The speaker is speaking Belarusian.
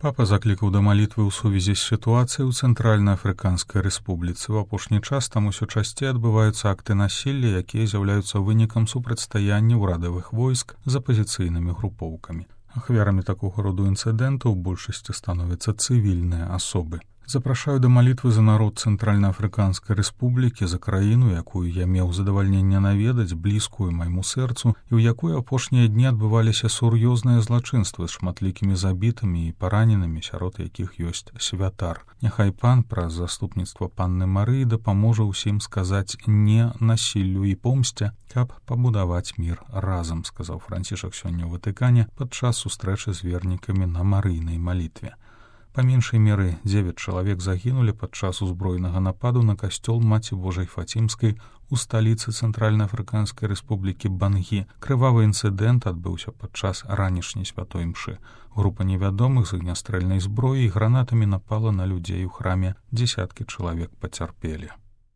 Папа заклікаў да малітвы ў сувязі з сітуацыяй у Цэнтральна-Афрыканскай рэспубліцы. У апошні час там усё часцей адбываюцца акты насілля, якія з'яўляюцца вынікам супрацьстаяння ўрадавых войск з апазіцыйнымі групоўкамі. Ахвярамі такога роду інцыдэнтаў у большасці становяцца цывільныя асобы. Запрашаю да малітвы за народ Цэнтральна-Афрыканскай рэспублікі, за краіну, якую я меў задавальненне наведаць, блізкую майму сэрцу, і ў якой апошнія дні адбываліся сур'ёзныя злачынствы з шматлікімі забітымі і параненымі, сярод якіх ёсць святар. Няхай пан праз заступніцтва панны Марыі дапаможа ўсім сказаць «не» насіллю і помсце, каб пабудаваць мір разам, сказаў Францішак сёння ў Ватыкане падчас сустрэчы з вернікамі на марыйнай малітве. Па меншай меры 9 чалавек загінулі падчас узброенага нападу на касцёл Маці Божай Фацімскай у сталіцы Цэнтральна-Афрыканскай рэспублікі Бангі. Крывавы інцыдэнт адбыўся падчас ранішняй святой імшы. Група невядомых з агнястрэльнай зброяй і гранатамі напала на людзей у храме. Дзесяткі чалавек пацярпелі.